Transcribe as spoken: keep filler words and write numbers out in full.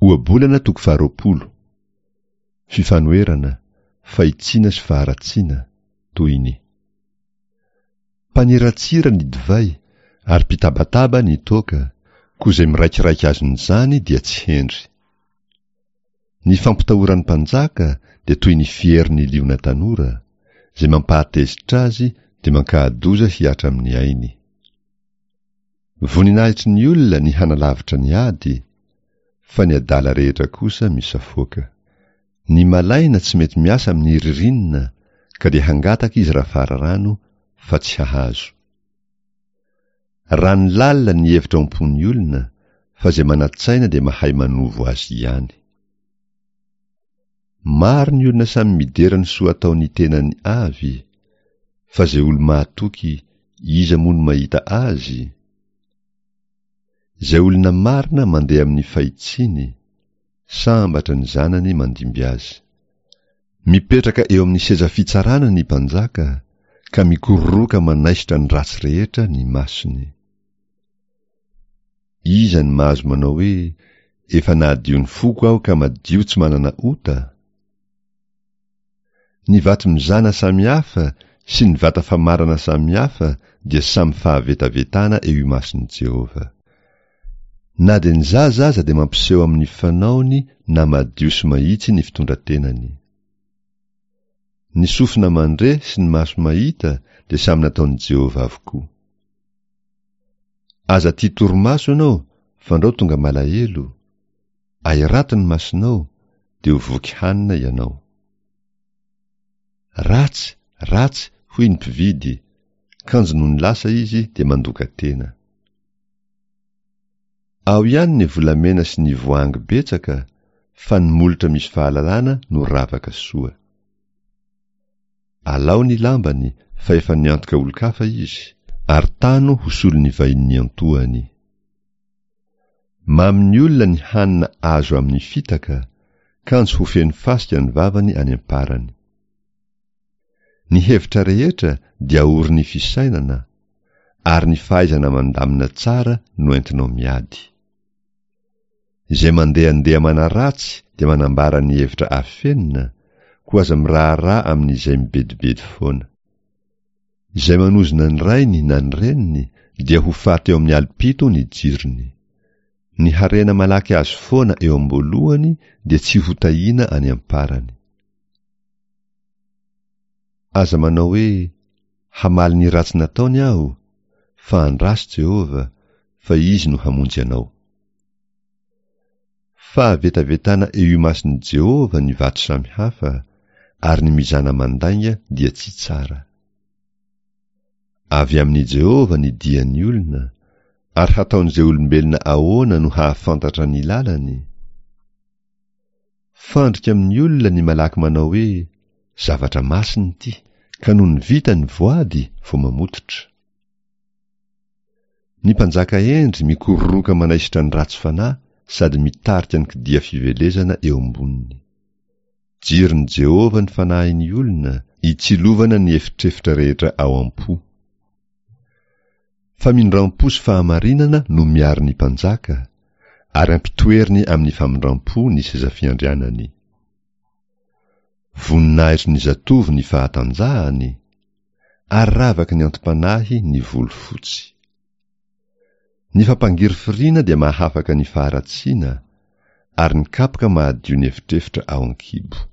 Ohabolana toko faharoapolo. Fifanoherana, fahitsiana sy faharatsiana, tohiny. Mpaniratsira ny divay ary mpitabataba ny toaka, koa izay miraikiraiky azon'izany dia tsy hendry. Ny fampitahoran'ny mpanjaka dia toy ny fierin'ny liona tanora, izay mampahatezitra azy dia mankahadoza hihatra amin'ny ainy. Voninahitry ny olona ny hanalavitra ny ady, fa ny adala rehetra kosa misafoaka. Ny malaina tsy mety miasa amin'ny ririnina, ka dia hangataka izy raha fararano, fa tsy hahazo. Rano lalina ny hevitra ao am-pon'ny olona, fa izay manan-tsaina dia mahay manovo azy ihany. Maro ny olona samy midera ny soa ataon'ny tenany avy, fa izay olo-mahatoky, iza moa no mahita azy? Izay olona marina mandeha amin'ny fahitsiny, sambatra ny zanany mandimby azy. Mipetraka eo amin'ny seza fitsarana ny mpanjaka, ka mikororoka manaisotra ny ratsy rehetra ny masony. Iza no mahazo manao hoe, efa nahadio ny foko aho ka madio tsy manana ota? Ny vato mizana samihafa sy ny vata famarana samihafa dia samy fahavetavetana eo imason'i Jehovah. Na dia ny zaza aza dia mampiseho amin'ny fanaony na madio sy mahitsy ny fitondran-tenany. Ny sofina mandre sy ny maso mahita dia samy nataon'i Jehovah avokoa. Aza tia torimaso ianao fandrao tonga malahelo, ahirato ny masonao dia ho voky hanina ianao. Ratsy, ratsy, hoy ny mpividy, kanjo nony lasa izy dia mandoka tena. Ao ihany ny volamena sy ny voahangy betsaka, fa ny molotra misy fahalalana no ravaka soa. Alao ny lambany fa efa niantoka olon-kafa izy, ary tano ho solon'ny vahiny niantohany. Mamin'ny olona ny hanina azo amin'ny fitaka, kanjo ho feno fasika ny vavany any am-parany. Ny hevitra rehetra dia aorin'ny fisainana, ary ny fahaizana mandamina tsara no entinao miady. Izay mandehandeha manaratsy dia manambara ny hevitra afenina, koa aza miraharaha amin'izay mibedibedy foana. Izay manozona ny rainy na ny reniny dia ho faty eo amin'ny alim-pito ny jirony. Ny harena malaky azo foana eo am-boalohany dia tsy ho tahiana any am-parany. Aza manao hoe, hamaly ny ratsy nataony aho, fa andraso Jehovah, fa izy no hamonjy anao. Fahavetavetana eo imason'i Jehovah ny vato samihafa, ary ny mizana mandainga dia tsy tsara. Avy amin'i Jehovah ny dian'ny olona, ary hataon'izay olombelona ahoana no hahafantatra ny lalany? Fandrika amin'ny olona ny malaky manao hoe, zavatra masina ity, ka nony vita ny voady vao mamototra. Ny mpanjaka hendry mikororoka manaisotra ny ratsy fanahy sady mitarika ny kidia fivelezana eo amboniny. Jiron'i Jehovah ny fanahin'ny olona, itsilovana ny efitrefitra rehetra ao am-po. Famindram-po sy fahamarinana no miaro ny mpanjaka, ary ampitoeriny amin'ny famindram-po ny seza fiandrianany. Voninahitry ny zatovo ny fahatanjahany, ary ravaky ny antom-panahy ny volo fotsy. Ny fampangirifiriana dia mahafaka ny faharatsiana, ary ny kapoka mahadio ny efitrefitra ao an-kibo.